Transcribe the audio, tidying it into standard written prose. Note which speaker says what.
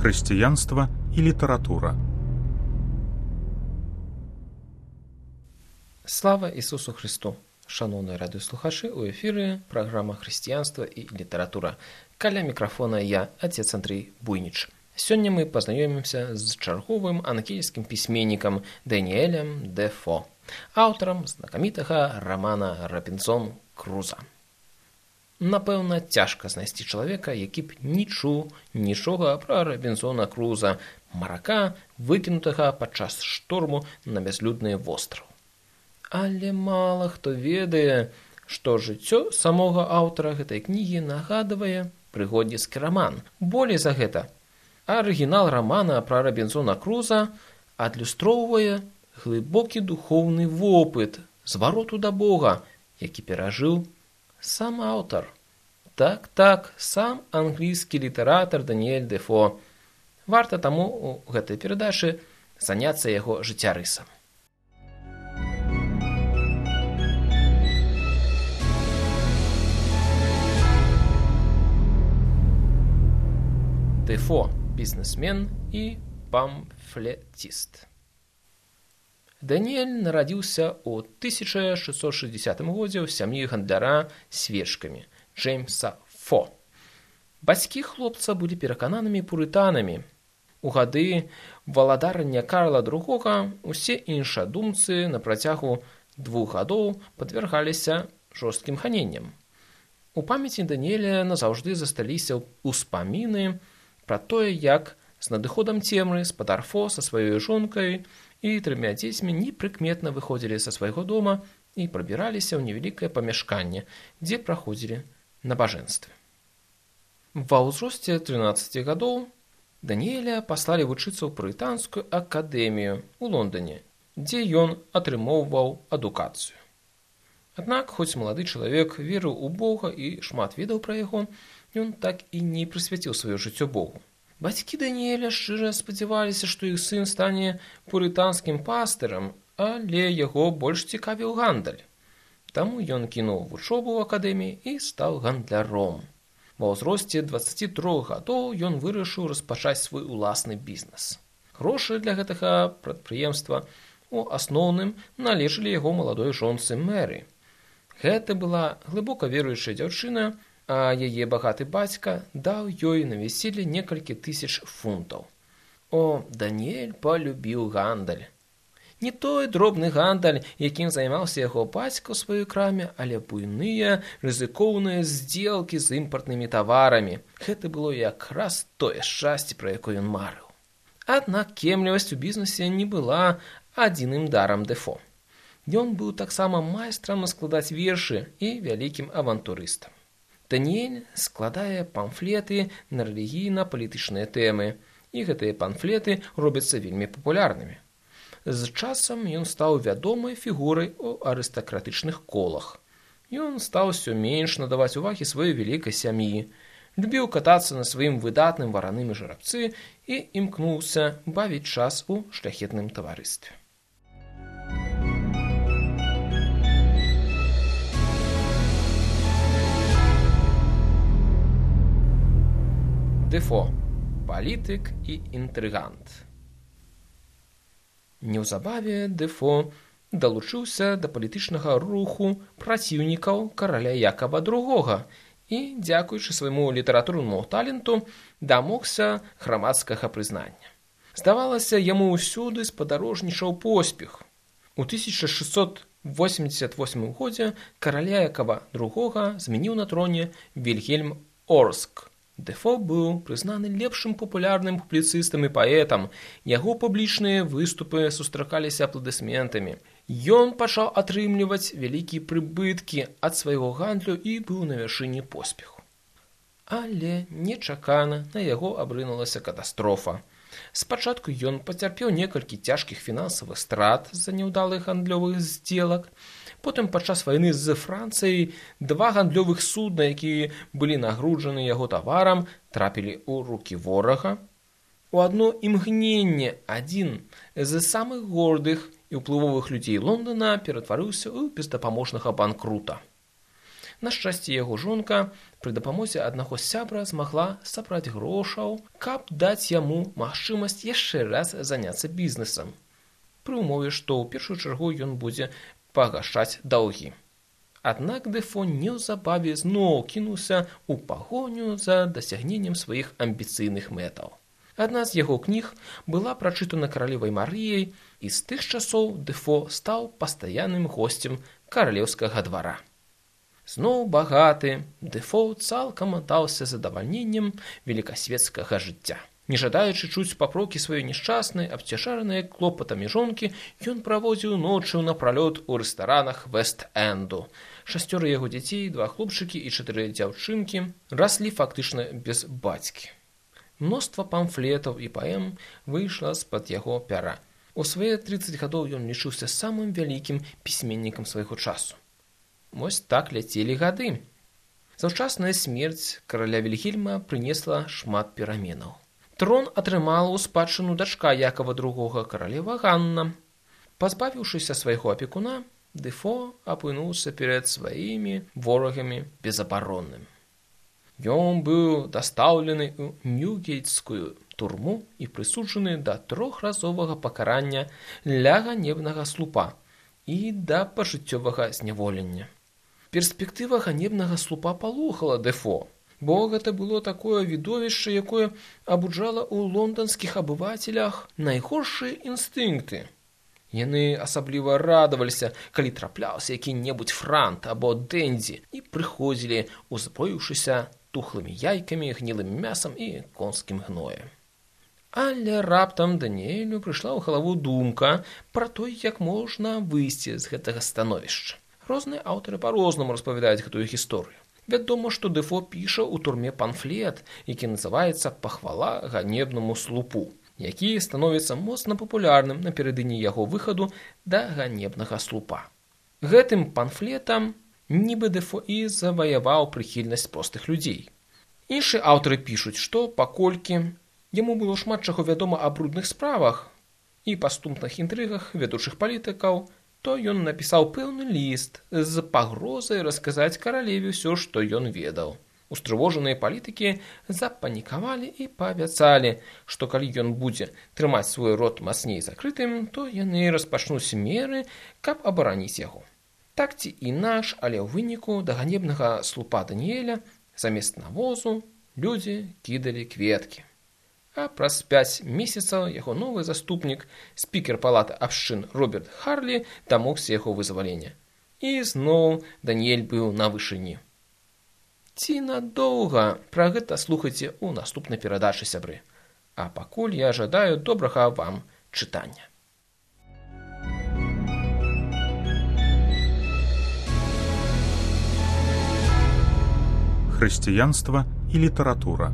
Speaker 1: Хрысціянства і літаратура.
Speaker 2: Слава Ісусу Христу! Шановні радыёслухачы, у эфіры праграма «Хрысціянства і літаратура». Каля мікрафона я, отец Андрей Буйніч. Сёння мы пазнаёмімся з чарговым англійскім пісьменнікам Даніэлем Дефо, аўтарам знакамітага рамана «Робінзон Круза». Напэўна, цяжка знайсці чалавека, які б не чуў нічога пра Робінзона Круза, марака, выкінутага падчас шторму на бязлюдны востраў. Але мала хто ведае, што жыццё самога аўтара гэтай кнігі нагадвае прыгодніцкі раман. Болей за гэта, арыгінал рамана пра Робінзона Круза адлюстроўвае глыбокі духоўны вопыт звароту да Бога, які перажыў сам аўтар. Так, сам англійскі літаратар Даніэль Дефо. Варта таму у гэтай перадачы заняцца яго жыццярысам. Дефо – бізнесмен і памфлетіст. Даніэль нарадзіўся ў 1660 годзе ў сям'і гандляра свечкамі Джеймса Фо. Бацькі хлопца былі перакананымі пурытанамі. У гады валадарання Карла II усе іншадумцы на працягу 2 гадоў падвяргаліся жорсткім ганенням. У памяці Даніэля назаўжды засталіся ўспаміны пра тое, як з надыходам цемры спадар Фо са сваёй жонкай і 3 дзецьмі непрыкметна выходзілі са свайго дома і прабіраліся ў невялікае памяшканне, дзе праходзілі набажэнствы. Ва ўзросце 13 гадоў Даніэля паслалі вучыцца ў пурытанскую акадэмію ў Лондоне, дзе ён атрымоўваў адукацыю. Аднак, хоць малады чалавек верыў у Бога і шмат ведаў пра яго, ён так і не прысвяціў сваё жыццё Богу. Бацькі Даніэля шчыра спадзяваліся, што іх сын стане пурытанскім пастырам, але яго больш цікавіў гандаль. Таму ён кінуў вучобу ў акадэміі і стаў гандляром. Ва ўзросце 23 гадоў ён вырашыў распачаць свой уласны бізнес. Грошы для гэтага прадпрыемства у асноўным належалі яго маладой жонцы Мэры. Гэта была глыбока веруючая дзяўчына, а яе багаты бацька даў ёй на вяселле некалькі тысяч фунтаў. О, Даніэль палюбіў гандаль. Не той дробны гандаль, якім займаўся яго бацька ў сваёй краме, але буйныя, рызыкоўныя здзелкі з імпартнымі таварамі. Гэта было якраз тое шчасце, пра якое ён марыў. Аднак кемлівасць у бізнесе не была адзіным дарам Дефо. Ён быў таксама майстрам складаць вершы і вялікім авантурыстам. Даніэль складае памфлеты на рэлігійна-палітычныя тэмы, і гэтыя памфлеты робяцца вельмі папулярнымі. З часам ён стаў вядомай фігурай у арыстакратычных колах. Ён стаў усё менш надаваць увагі сваёй вялікай сям'і, любіў катацца на сваім выдатным вараным жарабцы і імкнуўся бавіць час у шляхетным таварыстве. Дефо – палітык і інтрыгант. Неўзабаве Дефо далучыўся да палітычнага руху праціўнікаў караля Якава II і, дзякуючы свайму літаратурнаму таленту, дамогся грамадскага прызнання. Здавалася, яму ўсюды спадарожнічаў поспех. У 1688 годзе караля Якава II змяніў на троне Вільгельм Орск. Дефо быў прызнаны лепшым папулярным публіцыстам і паэтам. Яго публічныя выступы сустракаліся апладысментамі. Ён пачаў атрымліваць вялікія прыбыткі ад свайго гандлю і быў на вяршыні поспеху. Але нечакана на яго абрынулася катастрофа. Спачатку ён пацярпеў некалькі цяжкіх фінансавых страт з-за няўдалых гандлёвых здзелак. Потым падчас вайны з Францыяй 2 гандлёвых судна, якія былі нагружаны яго таварам, трапілі ў рукі ворага. У адно імгненне адзін з самых гордых і ўплывовых людзей Лондона ператварыўся ў бездапаможнага банкрута. На шчасце, яго жонка пры дапамозе аднаго сябра змагла сабраць грошаў, каб даць яму магчымасць яшчэ раз заняцца бізнесам, пры ўмове, што ў першую чаргу ён будзе пагашаць даўгі. Аднак Дэфо неўзабаве зноў кінуўся ў пагоню за дасягненнем сваіх амбіцыйных мэтаў. Адна з яго кніг была прачытана каралевай Марыяй, і з тых часоў Дэфо стаў пастаянным госцем каралеўскага двара. Зноў багаты, Дэфо цалкам аддаўся задавальненнем великасветскага жыцця. Не жадаючы чуць папрокі сваёй няшчаснай, абцяжаранай клопатамі жонкі, ён праводзіў ночы напралёт у рэстаранах Вэст-Энду. 6 яго дзяцей, 2 хлопчыкі і 4 дзяўчынкі раслі фактычна без бацькі. Мноства памфлетаў і паэм выйшла з-пад яго пяра. У свае 30 гадоў ён лічыўся самым вялікім пісьменнікам свайго часу. Вось так ляцелі гады. Заўчасная смерць караля Вільгельма прынесла шмат пераменаў. Трон атрымала ў спадчыну дачка Якова II, каралева Ганна. Пазбавіўшыся свайго апекуна, Дэфо апынуўся перад сваімі ворагамі безабаронным. Ён быў дастаўлены ў Ньюгейтскую турму і прысуджаны да 3-разовага пакарання ля ганебнага слупа і да пажыццёвага зняволення. Перспектыва ганебнага слупа палохала Дэфо, бо гэта было такое відовішча, якое абуджала ў лонданскіх абывацелях найгоршыя інстынкты. Яны асабліва радаваліся, калі трапляўся які-небудзь франт або дэндзі і прыходзілі, узброіўшыся тухлымі яйкамі, гнілым мясам і конскім гноем. Але раптам Даніэлю прыйшла ў галаву думка пра той, як можна выйсці з гэтага становішча. Розныя аўтары па-рознаму распавядаюць гэтую гісторыю. Вядома, што Дэфо піша ў турме памфлет, які называецца «Пахвала ганебнаму слупу», які становіцца моцна папулярным напярэдадні яго выхаду да ганебнага слупа. Гэтым памфлетам нібы Дэфо і заваяваў прыхільнасць простых людзей. Іншыя аўтары пішуць, што паколькі яму было шмат чаго вядома аб брудных справах і паступных інтрыгах вядучых палітыкаў, то ён напісаў пэўны ліст з пагрозай расказаць каралеве ўсё, што ён ведаў. Устрывожаныя палітыкі запанікавалі і паабяцалі, што калі ён будзе трымаць свой рот мацней закрытым, то яны распачнуць меры, каб абараніць яго. Так ці інакш, але ў выніку да ганебнага слупа Даніэля замест навозу людзі кідалі кветкі. А праз 5 месяцаў яго новы заступнік, спікер палаты абшчын Роберт Харлі, дамогся яго вызвалення. І зноў Даніэль быў на вышыні. Ці надоўга? Пра гэта слухайце ў наступнай перадачы, сябры. А пакуль я жадаю добрага вам чытання.
Speaker 1: Хрысціянства і літаратура.